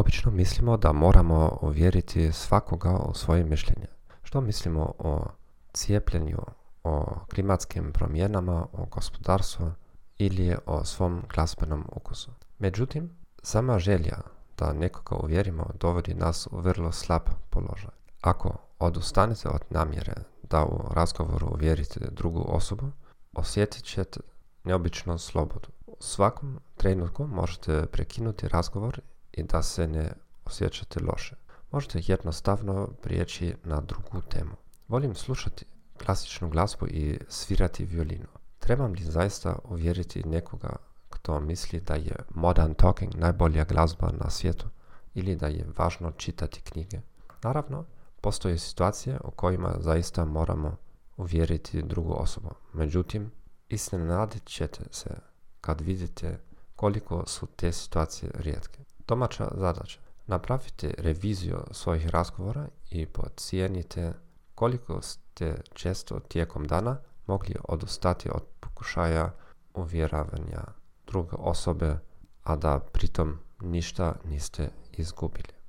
Obično mislimo da moramo uvjeriti svakoga u svoje mišljenje. Što mislimo o cijepljenju, o klimatskim promjenama, o gospodarstvu ili o svom glazbenom ukusu. Međutim, sama želja da nekoga uvjerimo dovodi nas u vrlo slab položaj. Ako odustanete od namjere da u razgovoru uvjerite drugu osobu, osjetit ćete neobičnu slobodu. U svakom trenutku možete prekinuti razgovor i da se ne osjećate loše. Možete jednostavno prijeći na drugu temu. Volim slušati klasičnu glazbu i svirati violinu. Trebam li zaista uvjeriti nekoga kto misli da je Modern Talking najbolja glazba na svijetu ili da je važno čitati knjige? Naravno, postoje situacije u kojima zaista moramo uvjeriti drugu osobu. Međutim, iznenadit ćete se kad vidite koliko su te situacije rijetke. Domaća zadaća. Napravite reviziju svojih razgovora i procijenite koliko ste često tijekom dana mogli odustati od pokušaja uvjeravanja druge osobe, a da pritom ništa niste izgubili.